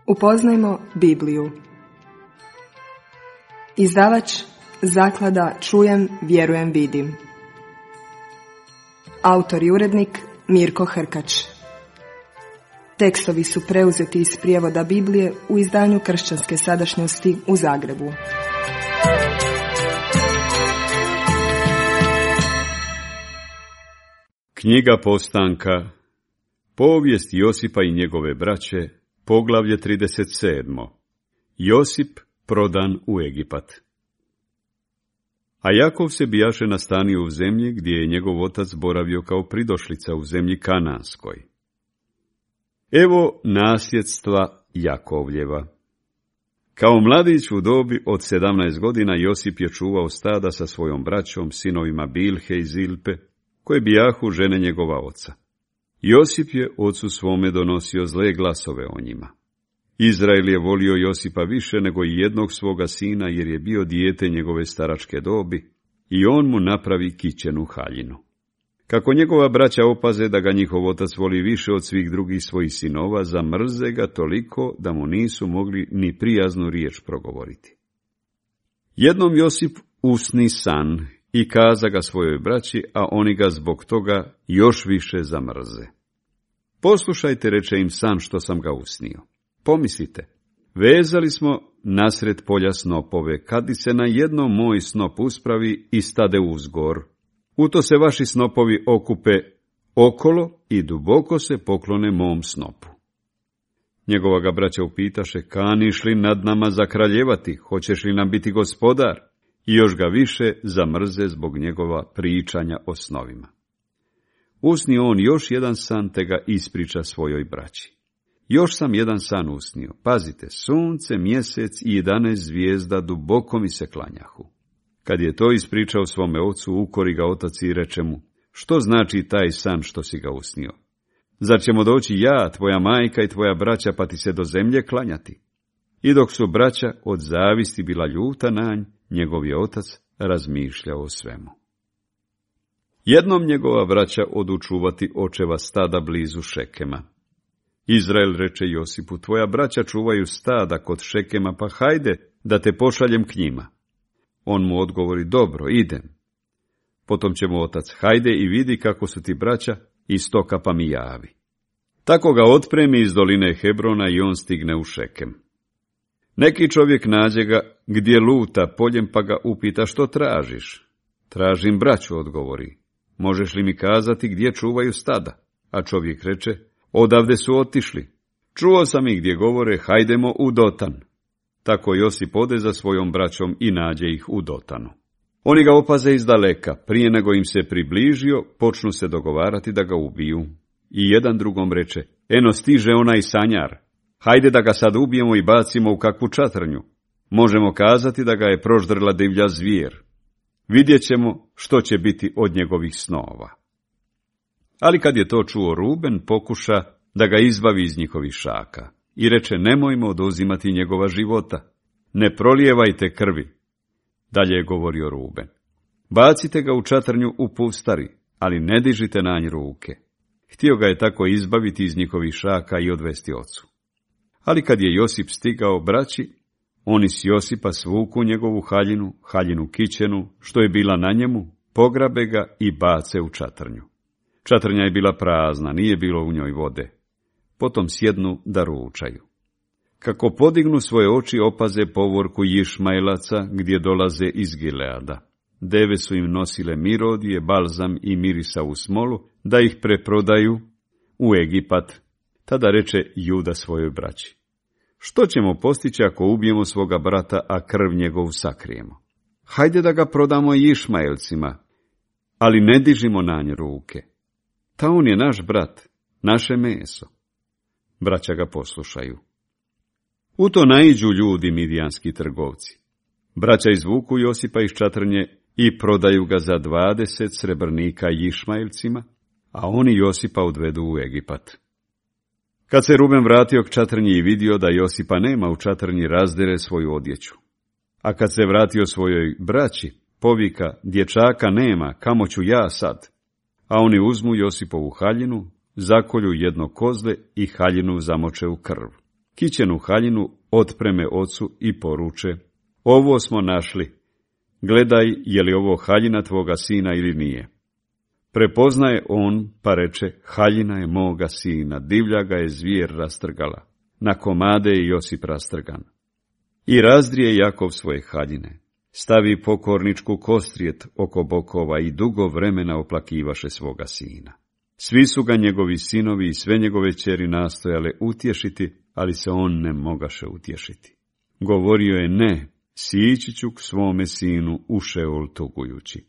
Upoznajmo Bibliju. Izdavač Zaklada Čujem, vjerujem, vidim. Autor i urednik Mirko Hrkač. Tekstovi su preuzeti iz prijevoda Biblije u izdanju Kršćanske sadašnjosti u Zagrebu. Knjiga Postanka, povijest Josipa i njegove braće, poglavlje 37. Josip prodan u Egipat. A Jakov se bijaše nastanio u zemlji gdje je njegov otac boravio kao pridošlica u zemlji Kananskoj. Evo nasljedstva Jakovljeva. Kao mladić u dobi od 17 godina Josip je čuvao stada sa svojom braćom, sinovima Bilhe i Zilpe, koje bijahu žene njegova oca. Josip je ocu svome donosio zle glasove o njima. Izrael je volio Josipa više nego i jednog svoga sina, jer je bio dijete njegove staračke dobi, i on mu napravi kićenu haljinu. Kako njegova braća opaze da ga njihov otac voli više od svih drugih svojih sinova, zamrze ga toliko da mu nisu mogli ni prijaznu riječ progovoriti. Jednom Josip usni san i kaza ga svojoj braći, a oni ga zbog toga još više zamrze. Poslušajte, reče im, san što sam ga usnio. Pomislite, vezali smo nasred polja snopove, kad se na jednom moj snop uspravi i stade uzgor. U to se vaši snopovi okupe okolo i duboko se poklone mom snopu. Njegova ga braća upitaše, kaniš li nad nama zakraljevati, hoćeš li nam biti gospodar? I još ga više zamrze zbog njegova pričanja o snovima. Usni on još jedan san, te ga ispriča svojoj braći. Još sam jedan san usnio. Pazite, sunce, mjesec i 11 zvijezda duboko mi se klanjahu. Kad je to ispričao svome ocu, ukori ga otac i reče mu, što znači taj san što si ga usnio? Zar ćemo doći ja, tvoja majka i tvoja braća, pa ti se do zemlje klanjati? I dok su braća od zavisti bila ljuta na nj, njegov je otac razmišljao o svemu. Jednom njegova braća odu čuvati očeva stada blizu Šekema. Izrael reče Josipu, tvoja braća čuvaju stada kod Šekema, pa hajde da te pošaljem k njima. On mu odgovori, dobro, idem. Potom će mu otac, hajde i vidi kako su ti braća i stoka, pa mi javi. Tako ga otpremi iz doline Hebrona i on stigne u Šekem. Neki čovjek nađe ga gdje luta poljem, pa ga upita, što tražiš? Tražim braću, odgovori. Možeš li mi kazati gdje čuvaju stada? A čovjek reče, odavde su otišli. Čuo sam ih gdje govore, hajdemo u Dotan. Tako Josip ode za svojom braćom i nađe ih u Dotanu. Oni ga opaze izdaleka, prije nego im se približio, počnu se dogovarati da ga ubiju. I jedan drugom reče, eno stiže onaj sanjar. Hajde da ga sad ubijemo i bacimo u kakvu čatrnju. Možemo kazati da ga je proždrla divlja zvijer. Vidjet ćemo što će biti od njegovih snova. Ali kad je to čuo Ruben, pokuša da ga izbavi iz njihovih šaka. I reče, nemojmo oduzimati njegova života. Ne prolijevajte krvi. Dalje je govorio Ruben. Bacite ga u čatrnju u pustari, ali ne dižite na nj ruke. Htio ga je tako izbaviti iz njihovih šaka i odvesti ocu. Ali kad je Josip stigao braći, oni s Josipa svuku njegovu haljinu kićenu, što je bila na njemu, pograbe ga i bace u čatrnju. Čatrnja je bila prazna, nije bilo u njoj vode. Potom sjednu da ručaju. Kako podignu svoje oči, opaze povorku Išmajlaca gdje dolaze iz Gileada. Deve su im nosile mirodije, balzam i mirisa u smolu, da ih preprodaju u Egipat. Tada reče Juda svojoj braći, što ćemo postići ako ubijemo svoga brata, a krv njegovu sakrijemo? Hajde da ga prodamo Išmaelcima, ali ne dižimo na nj ruke. Ta on je naš brat, naše meso. Braća ga poslušaju. U to naiđu ljudi midijanski trgovci. Braća izvuku Josipa iz čatrnje i prodaju ga za 20 srebrnika Išmaelcima, a oni Josipa odvedu u Egipat. Kad se Ruben vratio k čatrnji i vidio da Josipa nema u čatrnji, razdere svoju odjeću. A kad se vratio svojoj braći, povika, dječaka nema, kamo ću ja sad? A oni uzmu Josipovu haljinu, zakolju jedno kozle i haljinu zamoče u krv. kićenu haljinu otpreme ocu i poruče: ovo smo našli, gledaj je li ovo haljina tvoga sina ili nije. Prepoznaje on, pa reče: haljina je moga sina, divlja ga je zvijer rastrgala, na komade je Josip rastrgan. I razdrije Jakov svoje haljine, stavi pokorničku kostrijet oko bokova i dugo vremena oplakivaše svoga sina. Svi su ga njegovi sinovi i sve njegove ćeri nastojale utješiti, ali se on ne mogaše utješiti. Govorio je: ne, sići ću k svome sinu u Šeol tugujući.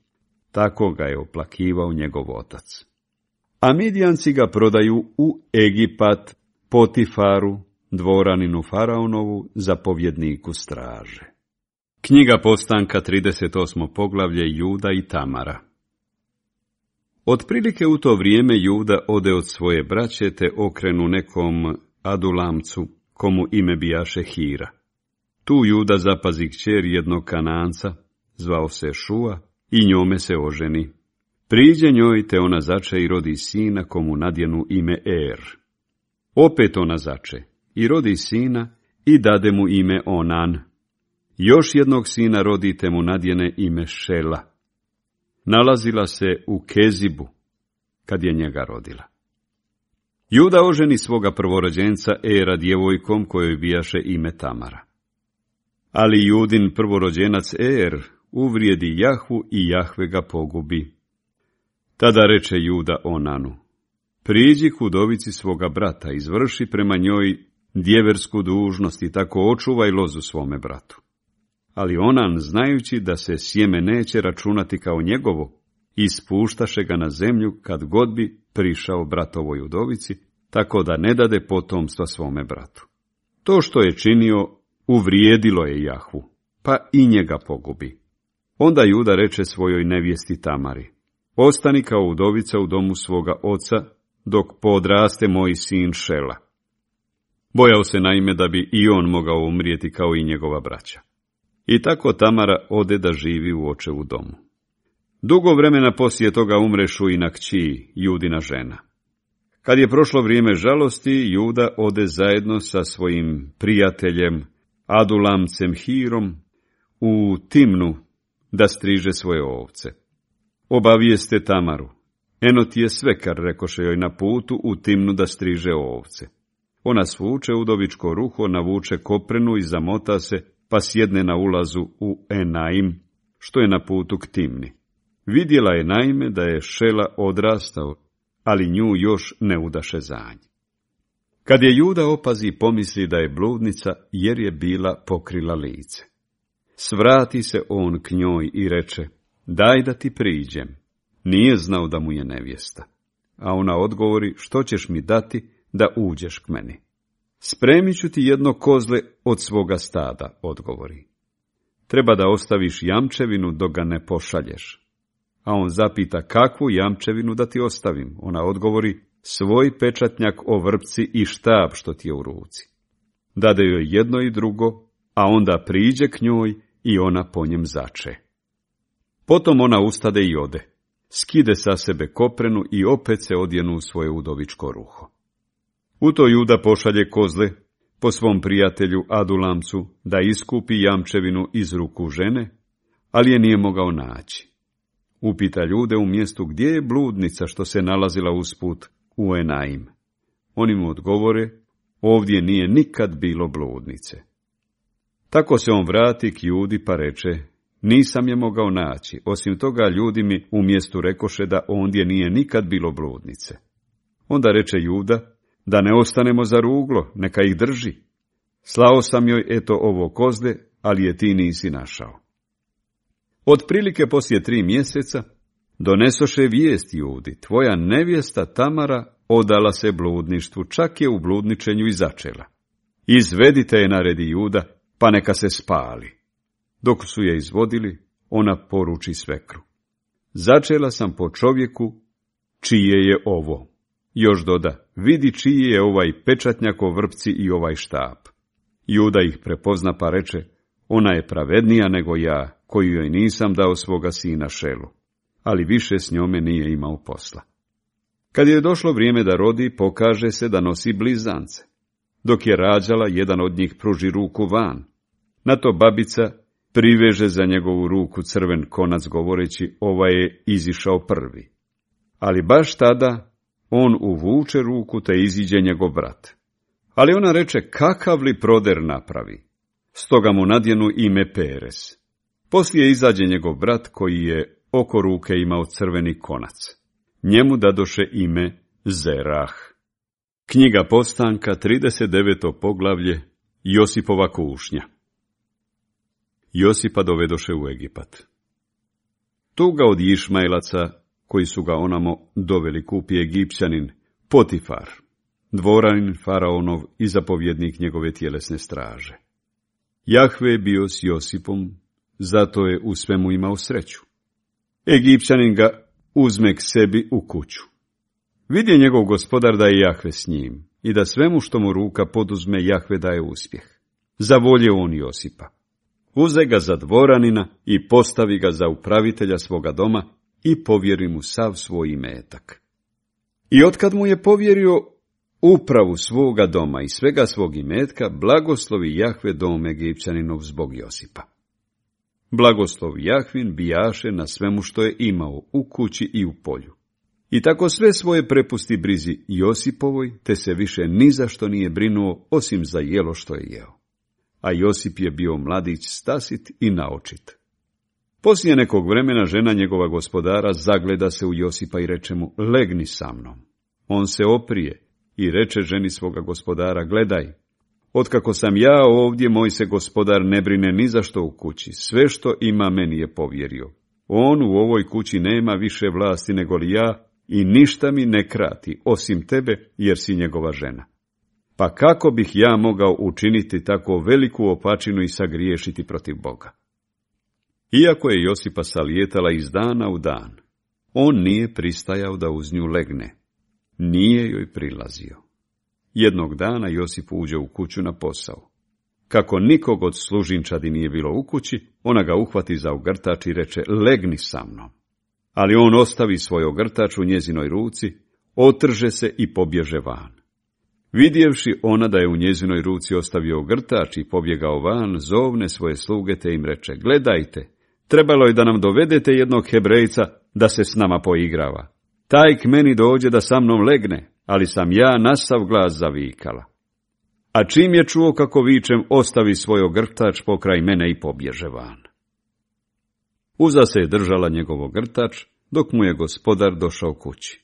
Tako ga je oplakivao njegov otac. A Midjanci ga prodaju u Egipat Potifaru, dvoraninu faraonovu, zapovjedniku straže. Knjiga Postanka, 38. poglavlje, Juda i Tamara. Otprilike u to vrijeme Juda ode od svoje braće te okrenu nekom Adulamcu, komu ime bijaše Hira. Tu Juda zapazi kćer jednog Kananca, zvao se Šua, i njome se oženi. Priđe njoj, te ona zače i rodi sina, komu nadjenu ime Er. Opet ona zače i rodi sina i dade mu ime Onan. Još jednog sina rodi, te mu nadjene ime Šela. Nalazila se u Kezibu, kad je njega rodila. Juda oženi svoga prvorođenca Era djevojkom, kojoj bijaše ime Tamara. Ali Judin prvorođenac Er uvrijedi Jahvu i Jahve ga pogubi. Tada reče Juda Onanu: priđi k udovici svoga brata, izvrši prema njoj djeversku dužnost i tako očuvaj lozu svome bratu. Ali Onan, znajući da se sjeme neće računati kao njegovo, ispuštaše ga na zemlju kad god bi prišao bratovoj udovici, tako da ne dade potomstva svome bratu. To što je činio uvrijedilo je Jahvu, pa i njega pogubi. Onda Juda reče svojoj nevjesti Tamari: ostani kao udovica u domu svoga oca, dok podraste moj sin Šela. Bojao se naime da bi i on mogao umrijeti kao i njegova braća. I tako Tamara ode da živi u očevu domu. Dugo vremena poslije toga umre Šuina kći, Judina žena. Kad je prošlo vrijeme žalosti, Juda ode zajedno sa svojim prijateljem Adulamcem Hirom u Timnu da striže svoje ovce. Obavijeste Tamaru: eno ti je svekar, rekoše joj na putu u Timnu da striže ovce. Ona svuče udovičko ruho, navuče koprenu i zamota se, pa sjedne na ulazu u Enaim, što je na putu k Timni. Vidjela je naime da je Šela odrastao, ali nju još ne udaše za nj. Kad je Juda opazi, pomisli da je bludnica, jer je bila pokrila lice. Svrati se on k njoj i reče: daj da ti priđem. Nije znao da mu je nevjesta. A ona odgovori: što ćeš mi dati da uđeš k meni? Spremit ću ti jedno kozle od svoga stada, odgovori. Treba da ostaviš jamčevinu dok ga ne pošalješ. A on zapita: kakvu jamčevinu da ti ostavim? Ona odgovori: svoj pečatnjak o vrpci i štab što ti je u ruci. Dade joj jedno i drugo, a onda priđe k njoj i ona po njem zače. Potom ona ustade i ode, skide sa sebe koprenu i opet se odjenu u svoje udovičko ruho. U to Juda pošalje kozle po svom prijatelju Adulamcu da iskupi jamčevinu iz ruku žene, ali je nije mogao naći. Upita ljude u mjestu: gdje je bludnica što se nalazila usput u Enaim? Oni mu odgovore: ovdje nije nikad bilo bludnice. Tako se on vrati k Judi pa reče: nisam je mogao naći, osim toga ljudi mi u mjestu rekoše da ondje nije nikad bilo bludnice. Onda reče Juda: da ne ostanemo za ruglo, neka ih drži. Slao sam joj eto ovo kozle, ali je ti nisi našao. Otprilike poslije 3 mjeseca donesoše vijest Judi: tvoja nevjesta Tamara odala se bludništvu, čak je u bludničenju i začela. Izvedite je, naredi Juda, pa neka se spali. Dok su je izvodili, ona poruči svekru: začela sam po čovjeku čije je ovo. Još doda: vidi čiji je ovaj pečatnjak o vrpci i ovaj štap. Juda ih prepozna pa reče: ona je pravednija nego ja, koju joj nisam dao svoga sina Šelu, ali više s njome nije imao posla. Kad je došlo vrijeme da rodi, pokaže se da nosi blizance. Dok je rađala, jedan od njih pruži ruku van. Na to babica priveže za njegovu ruku crven konac govoreći, ovaj je izišao prvi. Ali baš tada on uvuče ruku te iziđe njegov brat. Ali ona reče, kakav li proder napravi? Stoga mu nadjenu ime Perez. Poslije izađe njegov brat koji je oko ruke imao crveni konac. Njemu dadoše ime Zerah. Knjiga Postanka, 39. poglavlje, Josipova kušnja. Josipa dovedoše u Egipat. Tu ga od Išmajlaca, koji su ga onamo doveli, kupi Egipćanin Potifar, dvoranin faraonov i zapovjednik njegove tjelesne straže. Jahve je bio s Josipom, zato je u svemu imao sreću. Egipćanin ga uzme k sebi u kuću. Vidje njegov gospodar da je Jahve s njim i da svemu što mu ruka poduzme Jahve daje uspjeh. Zavolje on Josipa. Uze ga za dvoranina i postavi ga za upravitelja svoga doma i povjeri mu sav svoj imetak. I otkad mu je povjerio upravu svoga doma i svega svog imetka, blagoslovi Jahve dom Egipćaninov zbog Josipa. Blagoslov Jahvin bijaše na svemu što je imao u kući i u polju. I tako sve svoje prepusti brizi Josipovoj, te se više ni za što nije brinuo osim za jelo što je jeo. A Josip je bio mladić stasit i naočit. Poslije nekog vremena žena njegova gospodara zagleda se u Josipa i reče mu, legni sa mnom. On se oprije i reče ženi svoga gospodara, gledaj, otkako sam ja ovdje, moj se gospodar ne brine ni za što u kući, sve što ima meni je povjerio. On u ovoj kući nema više vlasti nego li ja i ništa mi ne krati, osim tebe, jer si njegova žena. Pa kako bih ja mogao učiniti tako veliku opačinu i sagriješiti protiv Boga? Iako je Josipa salijetala iz dana u dan, on nije pristajao da uz nju legne. Nije joj prilazio. Jednog dana Josip uđe u kuću na posao. Kako nikog od služinčadi nije bilo u kući, ona ga uhvati za ogrtač i reče, legni sa mnom. Ali on ostavi svoj ogrtač u njezinoj ruci, otrže se i pobježe van. Vidjevši ona da je u njezinoj ruci ostavio ogrtač i pobjegao van, zovne svoje sluge te im reče, gledajte, trebalo je da nam dovedete jednog Hebrejca da se s nama poigrava. Taj k meni dođe da sa mnom legne, ali sam ja na sav glas zavikala. A čim je čuo kako vičem, ostavi svoj ogrtač pokraj mene i pobježe van. Uza se je držala njegov ogrtač, dok mu je gospodar došao kući.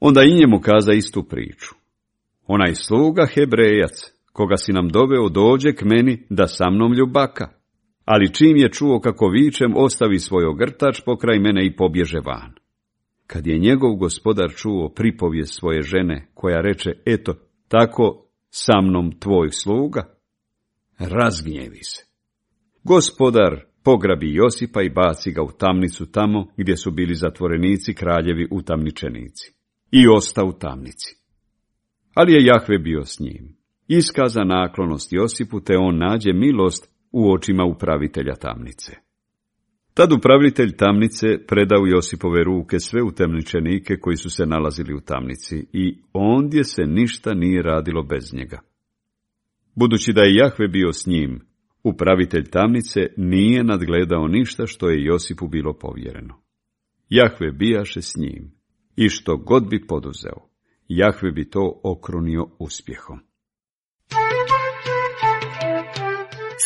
Onda i njemu kaza istu priču. Onaj sluga Hebrejac, koga si nam doveo, dođe k meni da sa mnom ljubaka, ali čim je čuo kako vičem, ostavi svoj ogrtač pokraj mene i pobježe van. Kad je njegov gospodar čuo pripovijest svoje žene, koja reče, eto, tako sa mnom tvoj sluga, razgnjevi se. Gospodar pograbi Josipa i baci ga u tamnicu tamo gdje su bili zatvorenici kraljevi utamničenici. I osta u tamnici. Ali je Jahve bio s njim. Iskaza naklonost Josipu, te on nađe milost u očima upravitelja tamnice. Tad upravitelj tamnice predao Josipove ruke sve utamničenike koji su se nalazili u tamnici i ondje se ništa nije radilo bez njega. Budući da je Jahve bio s njim, upravitelj tamnice nije nadgledao ništa što je Josipu bilo povjereno. Jahve bijaše s njim i što god bi poduzeo, Jahve bi to okrunio uspjehom.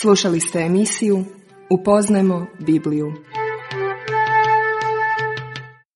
Slušali ste emisiju Upoznajmo Bibliju.